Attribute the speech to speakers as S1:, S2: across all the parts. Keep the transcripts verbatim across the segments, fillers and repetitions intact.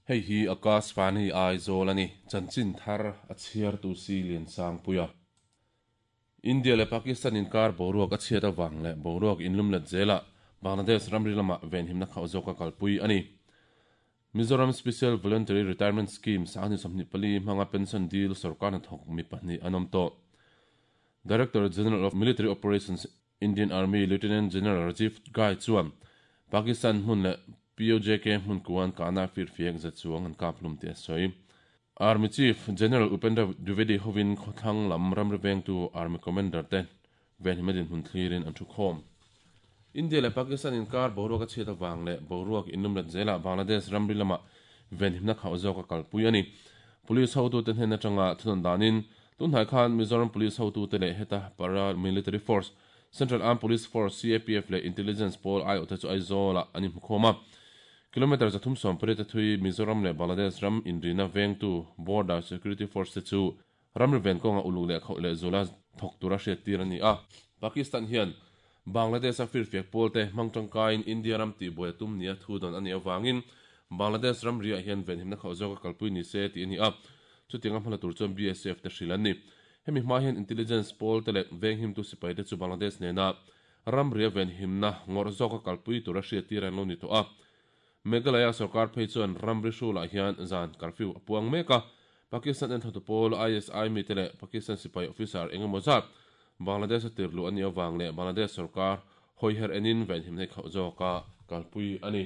S1: Hei hi Akashvani Aizawl a ni. Chanchin thar a chhiartu si Liansangpuia. India leh Pakistan inkar boruak a chhiat avang leh boruak inlumlet zelah Bangladesh ramri lamah venhimna khauh zawka kalpui a ni. Mizoram Special Voluntary Retirement Scheme sanghnih sawmhnih pali hmanga pension dil sorkar hnathawk mi pahnih an awm tawh. Director General of Military Operations Indian Army Lieutenant General Rajiv Ghai chuan Pakistan hmun leh P O J K hmun kuan kahna firfiak za chuang an kap hlum tih a sawi. Army Chief General Upendra Dwivedi hovin khawthlang lam ramri vengtu Army Commander te venhim a dinhmun thlirin an thu khawm. India leh Pakistan inkar boruak a chhiat avang leh boruak inlumlet zelah Bangladesh ramri lamah venhimna khauh zawka kalpui a ni. Police hotute hnen atanga thunawn danin tunhnai khan Mizoram Police hotute leh heta Paramilitary Force Central Armed Police Force C A P F leh Intelligence Pawl I O te chu Aizawlah an inhmu khawm a. Kilometer zathum sawm pariat a thui Mizoram leh Bangladesh ram inrina vengtu Border Security Force te chu ramri ven kawnga uluk leh khauh leh zula thawk tura hriat tir a ni a. Pakistan hian Bangladesh a firfiak pawl te hmang tangkaiin India ram tihbuai a tum nia thu dawn a nih avangin Bangladesh ram riah hian venhimna khauh zawka kalpui ni se tih a ni a. Chutiang a hmala tur chuan B S F te hrilh an ni. Hemi hma hian Intelligence pawl te leh venghimtu sipai te chu Bangladesh nena ram ria venhimna ngawrh zawka kalpui tura hriat tir an lo ni tawh a. Meghalaya sarkar phei chuan ramri hrulah hian zan curfew a puang mek a. Pakistan enthlatu pawl I S I mi te leh Pakistan sipai officer engemaw zat Bangladesh a tirlu a nih avang leh Bangladesh sarkar hawiher enin venhimna hi khauh zawka kalpui a ni.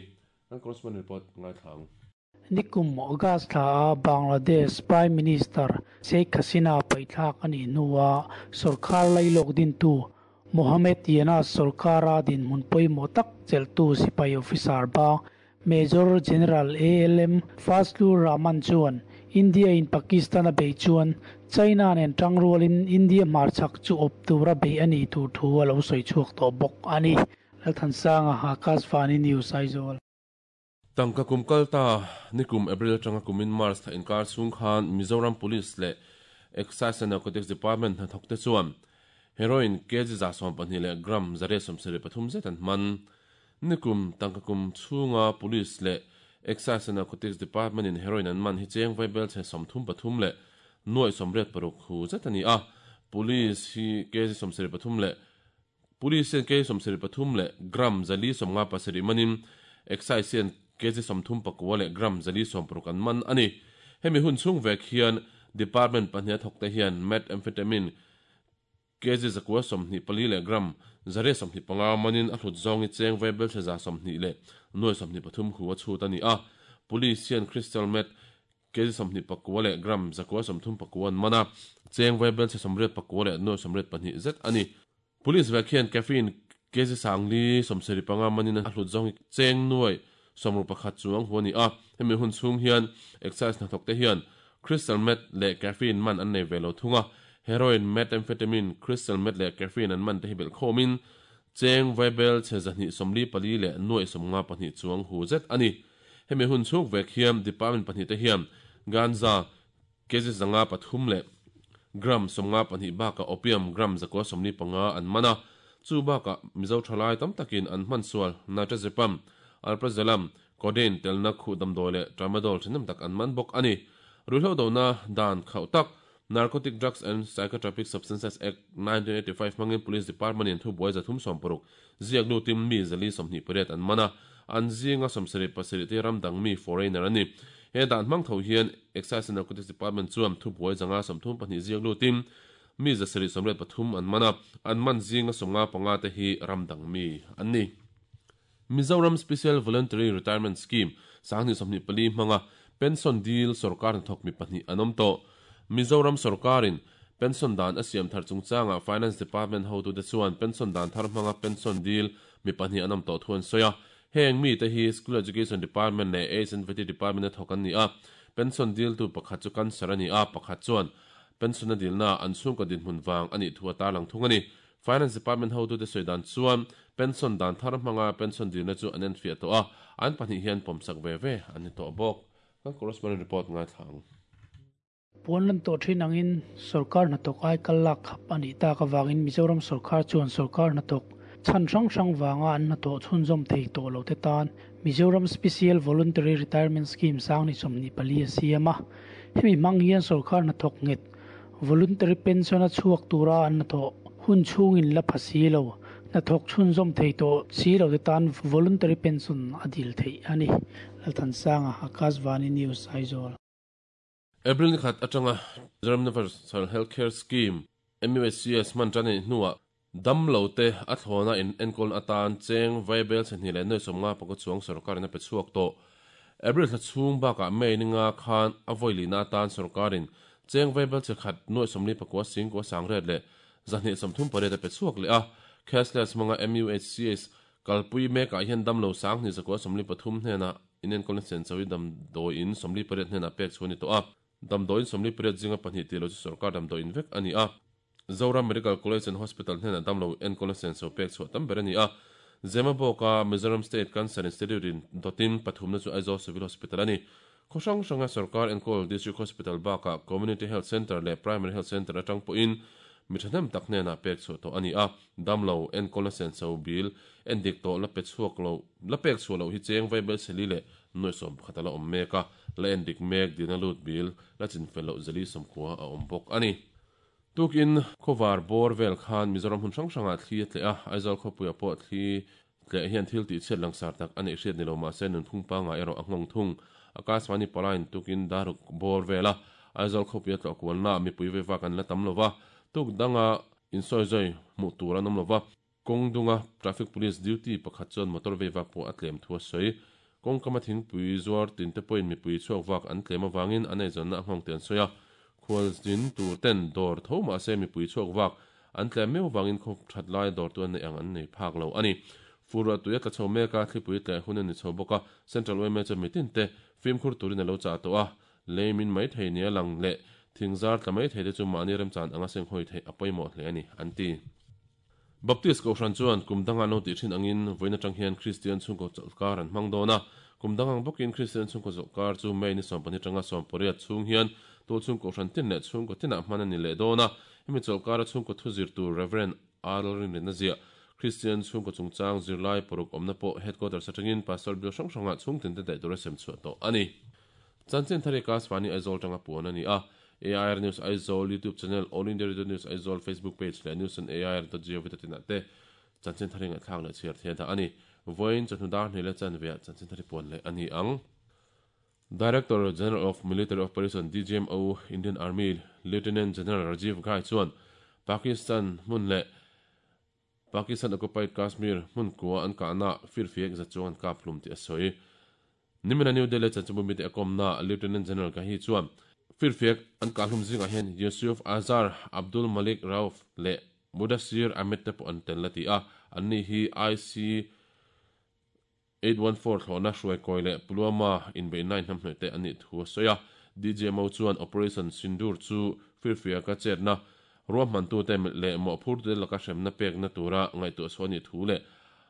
S1: Kan correspondent report ngai thlang.
S2: Nikum August thla a Bangladesh Prime Minister Sheikh Hasina paithlak ani hnuwa sarkar lailok din tu Mohammed Yunus sarkara din munpoi motak cheltu sipai officer ba Major General A L M Fazlur Rahman chuan India in Pakistan a bei chuan China nen tangrualin India marchak chu op tura bei ani tur thu a lo soi chuak to bawk ani. Lalthansanga Akashvani News Aizawl.
S1: Tangka kum kalta nikum April atanga kumin March tha inkar chung khan Mizoram Police leh Excise and Narcotics Department hnathawk te chuan heroin kg za sawm pahnih leh gram zariat sawmsarih pathum zet an hman. Nikum tangka kum chhunga Police leh Excise and Narcotics Department in heroin an man hi cheng vaibel chhe sawmthum pathum leh nuai sawmriat paruk hu zet ani a. Police hi kg sawmsarih pathum leh Police hian kg sawmsarih pathum leh gram zali sawmnga pasarih manin Excise hian kg sawmthum pakua leh gram zali sawm paruk an man ani. Hemi hun chhung vek hian department pahnih a thawk te hian methamphetamine kg zakua sawmhnih pali leh gram zariat sawmhnih panga manin a hlut zawngi cheng vaibel chhe za sawmhnih leh nuai sawmhnih pathum hu a chhut ani a. Police hian crystal meth kg sawmhnih pakua leh gram zakua sawmthum pakua an man a, cheng vaibel chhe sawmriat pakua leh nuai sawmriat pahnih zet ani. Police vek hian caffeine kg sangli sawmsarih panga manin a hlut zawngi cheng nuai sawmru pakhat chuang hu ani a. Hemi hun chhung hian excise hnathawk te hian crystal meth leh caffeine man an nei velo thunga. Heroin, methamphetamine, crystal meth leh caffeine an man te hi bel khawmin cheng vaibel chhe zahnih sawmli pali leh nuai sawmnga pahnih chuang hu zet ani. Hemi hun chhung vek hian department pahnih te hian ganja kg zanga pathum leh gram sawmnga pahnih baka opium gram zakua sawmli panga an mana. Chu baka Mizo thalai tam takin an hman sual nitrazepam, alprazolam, codeine telna khu damdawi leh tramadol thenam tak an man bawk ani. Ruihhlo dona dan khauh tak Narcotic Drugs and Psychotropic Substances Act nineteen eighty-five mangin Police Department in thu buai zathum sawm paruk ziak lu tim mi zali sawmhnih pariat an mana. An zinga sawmsarih pasarih te ramdang mi foreigner ani. He dan hmang tho hian Excise and Narcotics Department chuan thu buai zanga sawmthum pahnih ziak lu tim mi zasarih sawmriat pathum an mana. An man zinga sawmnga panga te hi ramdang mi an ni. Mizoram Special Voluntary Retirement Scheme sanghnih sawmhnih pali hmanga pension deal sarkar hnathawk mi pahnih an awm tawh. Mizoram sarkarin pension dan a siam thar chungchanga Finance Department hotu te chuan pension dan thar hmanga pension deal mi pahnih an awm tawh thu an sawi a. Heng mi te hi School Education Department leh Age and V T Department a thawk an ni a. Pension deal tu pakhat chu cancer ani a, pakhat chuan pension a dilna an chhungkaw dinhmun wang ani thu a tarlang thung ani. Finance Department hotu te sawi dan chuan pension dan thar hmanga pension dilna chu an en fiah tawh a, an pahnih hian pawmsak ve ve an ni tawh bawk. Kan correspondent report ngai thlang.
S2: Puanlan to thin angin sarkar hnathawk ai kal lak khap ani ta ka wangin Mizoram sarkar chuan sarkar hnathawk Chan hrang hrang wanga an na to chhunzawm thei tawh lo te tan Mizoram Special Voluntary Retirement Scheme sang ni sawmni pali a siam a. Hemi hmang hian sorkar hnathawk nghet voluntary pension a chhuak tura an hnathawh hun chhungin la pha si lo hnathawk chhunzawm thei tawh si lo te tan voluntary pension a dil theih a ni. Lalthansanga Akashvani News Aizawl.
S1: April ni khat atanga Mizoram Universal Healthcare Scheme M U H C S man tan ni hnuah dam lo te a thlawna in enkawl atan cheng vaibel chhehni leh nuai sawmnga pakua chuang sorkarin a pe chhuak tawh. April thla chhung bakah May ninga khan a vawi lina atan sorkarin cheng vaibel chhekhat nuai sawmli pakua singkua sangriat leh zahnih sawmthum pariat a pe chhuak leh a. Cashless manga M U H C S kalpui mekah hian dam lo sang hnih zakua sawmli pathum hnenah in enkawlna sen chawi damdawiin sawmli pariat hnenah pek chu a ni tawh a. Damdawiin sawmli pariat zinga pahnih tih lo chu sorkar damdawiin vek a ni a. Zoram Medical College and Hospital hnenah dam lo enkawlna sen chaw pek chhuah tam ber a ni a. Zemabawka Mizoram State Cancer Institute in dawtin pathumna chu Aizawl Civil Hospital a ni. Khaw hrang hranga sorkar enkawl District Hospital bakah Community Health Centre leh Primary Health Centre atang pawhin mi thahnem tak hnenah pek chhuah tawh a ni a. Dam lo enkawlna sen chaw bil endik tawh la pe chhuak lo la pek chhuah lo hi cheng vaibel chheli leh nuai sawm pakhat a la awm mek a. La endik mek dina lut bil la chinfel loh zali sawmkua a awm bawk a ni. Tukin khawvar bawr vel khan Mizoram hun hrang hrangah thli a tleh a. Aizawl khawpuiah pawh thli tleh hian thil tih chhiat langsar tak a neih hriat ni lo mahse nunphung panga erawh a nghawng thung. Akashvani palain tukin daruk bawr vela Aizawl khawpuia tlawh kualna mipui veva kan la tam lova. Tuk danga insawi zui hmuh tur an awm lova. Kawngdunga traffic police duty pakhat chuan motor veva pawh a tlem thu a sawi. Kawngkama thingpui zuar tin te pawhin mipui chhuak vak an tlem awangin an eizawnna a nghawng te an sawi a. Khual zin tur ten dawr tho mahse mipui chhuak vak an tlem meu wangin khaw that lai dawr tu an nei ang an nei phak lo a ni. Furah tuia tla chho meka thlipui tleh hun a ni chho bawk a. Central Y M A chuan mitin te fimkhur turin a lo chah tawh a. Leimin mai thei nia lang leh thingzar tla mai thei te chu mahni remchan anga seng hawi theih a pawimawh hle a ni an ti. Baptist Kohhran chuan kum danga lo tih thin angin vawiin atang hian Christian chhungkaw chawlhkar an hmang dawn a. Kum dangang bawkin Christian chhungkaw chawlhkar chu May ni sawm pahnih tanga sawm pariat chhung hian tul chhungkaw hran tin leh chhungkaw tinah hman a ni leh dawn a. Hemi chawlhkar a chhungkaw thu zir tur Reverend Arl Rinna ziah Christian chhungkaw chungchang zirlai paruk awmna pawh headquarters atangin Pastor Bill hrang hrangah chhung tin te daih tur a sem chhuah tawh a ni. Chanchin thari Akashvani Aizawl tanga puan a ni a. A I R News Aizawl YouTube channel, All India Radio News Aizawl Facebook page leh news on A I R dot gov dot in ah te chanchin thari ngaihthlak leh chhiar thei a dah a ni. Vawiin chawhnu dar hnih leh chanveah chanchin thari puan leh a ni ang. Director General of Military Operation D G M O Indian Army Lieutenant General Rajiv Ghai chuan Pakistan hmun leh Pakistan occupied Kashmir hmun kua an kahna firfiak za chuang an kap hlum tih a sawi. Nimina New Delhi chanchinbu mite a kawmna Lieutenant General Ghai chuan firfiak an kah hlum zingah hian Yusuf Azhar, Abdul Malik Rauf leh Mudassir Ahmed te pawh an tel la ti a. An ni hi I C eight one four thlawhna hruai kawi leh Pulwama inbeih nine hnam hnawih te an nih thu a sawi a. D G M O chuan Operation Sindoor chu firfiaka chetna ruahmantu te leh mawhphur te laka hremna pekna tura ngaihtuah chhuah a nih thu leh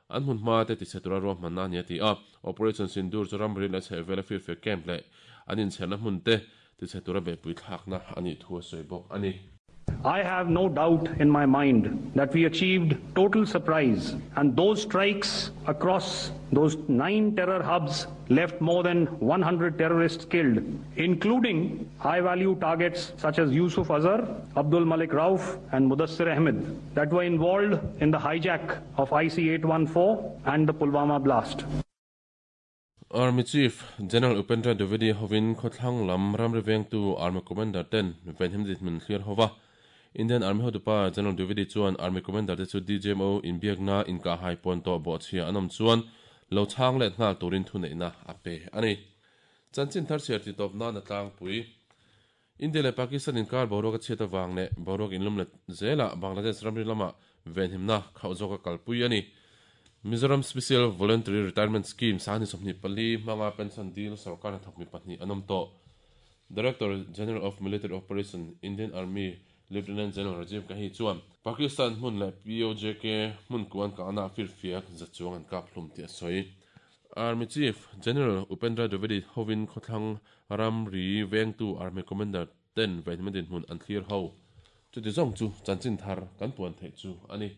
S1: an hmun hma te tichhe tura ruahmanna a ni a ti a. Operation Sindoor chu ramri leh chhehvela firfiak camp leh an inchherna hmun te tichhe tura beihpui thlakna a nih thu a sawi bawk a ni.
S3: I have no doubt in my mind that we achieved total surprise, and those strikes across those nine terror hubs left more than one hundred terrorists killed, including high-value targets such as Yusuf Azhar, Abdul Malik Rauf and Mudassir Ahmed that were involved in the hijack of I C eight one four and the Pulwama blast.
S1: Army Chief General Upendra Dwivedi hovin khawthlang lam ramri vengtu Army Commander ten venhim dinhmun thlir hova. Indian Army hotupa General Dwivedi chuan Army Commander te chu D G M O inbiakna inka hai pawn tawh bawhchhia an awm chuan lo chhang leh nghal turin thu neihna a pe a ni. Chanchin thar chhiar ti tawp nan a tlangpui. India leh Pakistan inkar boruak a chhiat awang leh boruak inlum leh zela Bangladesh ramri lama venhimna khauh zawk a kalpui a ni. Mizoram Special Voluntary Retirement Scheme sani sawmhnih pali hmanga pension deal sarkar hnathawk mi pahnih an awm tawh. Director General of Military Operation Indian Army Lieutenant General Rajiv Ghai chuan Pakistan hmun leh P O J K hmun kuan kahna firfiak za chuang an kap hlum tih a sawi. Army Chief General Upendra Dwivedi hovin khawthlang ramri vengtu Army Commander ten venhim dinhmun an thlir ho. Chuti zawng chu chanchin thar kan puan theih chu a ni.